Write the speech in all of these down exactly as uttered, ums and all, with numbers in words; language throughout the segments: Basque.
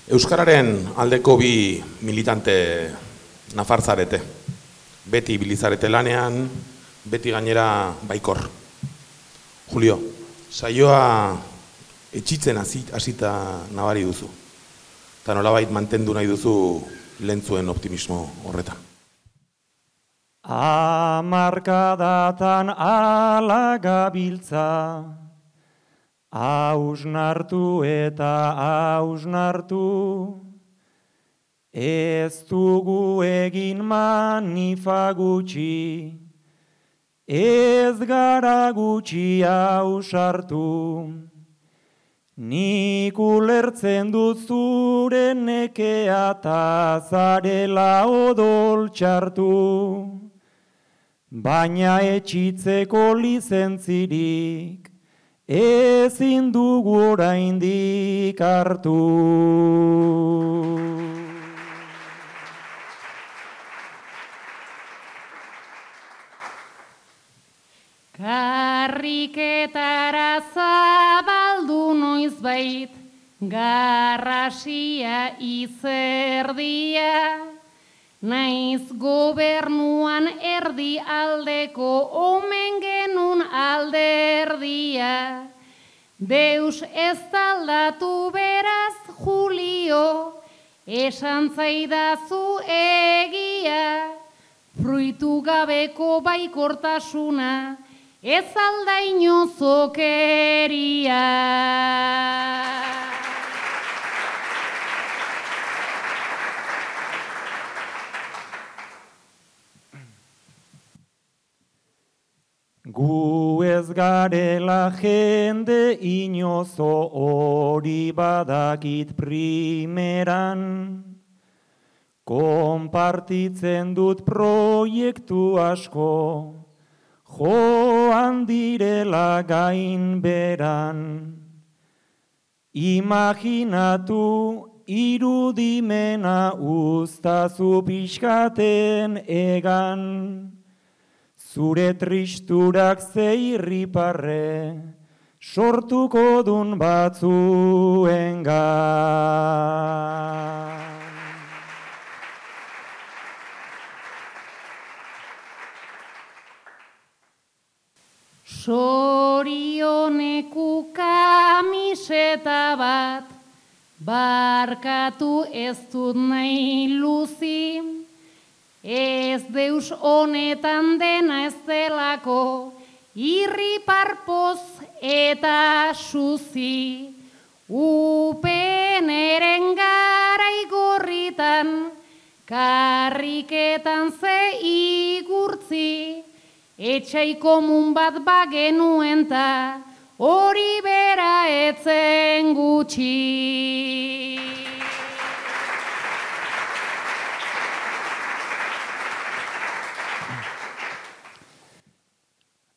Euskararen aldeko bi militante nafarzarete. Beti bilizarete lanean, beti gainera baikor. Julio, saioa etxitzen hasita nabari duzu. Eta nolabait mantendu nahi duzu lentzuen optimismo horretan. Hamarkadatan ala gabiltza, hausnartu eta hausnartu, ez dugu egin manifa gutxi, ez gara gutxi hausartu. Nik ulertzen dut zure nekea ta zarela odol txartu, baina etxitzeko lizentzirik ezin dugu oraindik hartu. Karriketara zabaldu noizbait, garrasia izerdia, naiz gobernuan erdi aldeko omen genun alderdia. Deus ez aldatu beraz, Julio, esan zaidazu egia, fruitu gabeko baikortasuna, ez aldaino zokeria. Gu ez garela jende inozo hori badakit primeran, konpartitzen dut proiektu asko, joan direla gainberan. Imaginatu irudimena uztazu pixkaten egan, zure tristurak zeirriparre sortuko dun batzuengan. Sorioneku kamiseta bat, barkatu ez dut nahi luzi, ez deus honetan dena ez delako, irriparpoz eta suzi. Upeneren garai gorritan, karriketan ze igurtzi, etxai komun bat bagenuen ta, hori bera etzen gutxi.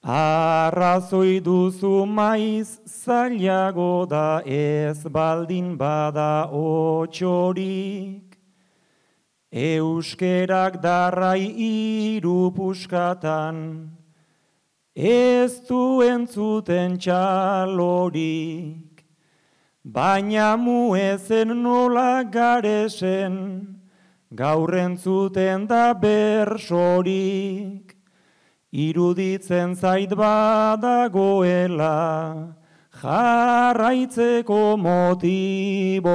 Arrazoi duzu maiz zailago da ez baldin bada otxorik, euskerak darrai hiru puskatan, ez du entzuten txalorik, baina mu ezen nola garesen, gaur entzuten da bersorik, iruditzen zait badagoela, jarraitzeko motiborik.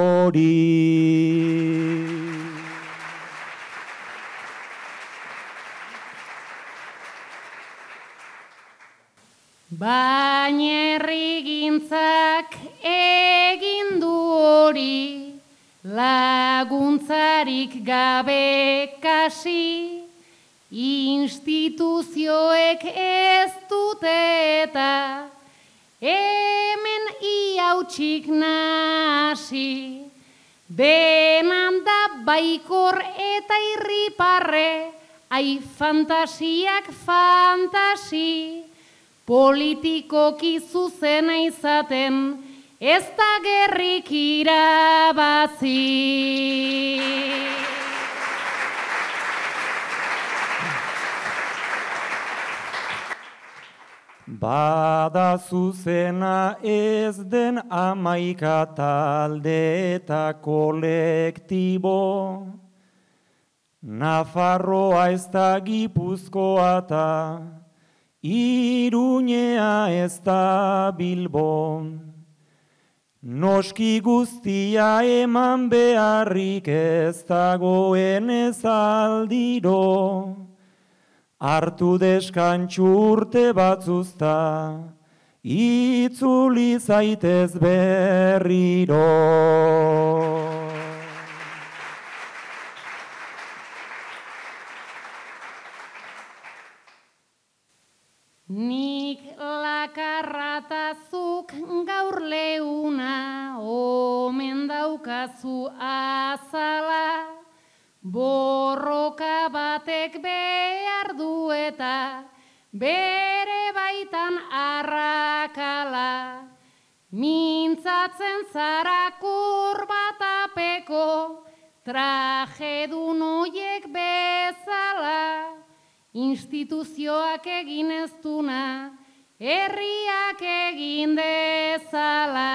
Baina herrigintzak egin du hori, laguntzarik gabe kasi, instituzioek ez dute eta hemen iautsik nasi. Denan da baikor eta irriparre, ai fantasiak fantasi, politikoki zuzena izaten, ez da gerrik irabazi. Bada zuzena ez den amaika talde eta kolektibo, Nafarroa ez da Gipuzkoa eta Iruñea ez da Bilbo. Noski guztia eman beharrik ez dagoen ez aldiro, hartu deskantxu urte batzuzta, itzuli zaitez berriro. Nik lakarratazuk gaur leuna, omen daukazu azala, borroka batek behar du eta bere baitan arrakala. Mintzatzen zara kurbatapeko, trajedun oiek bezala, instituzioak egin ez duna, herriak egin dezala.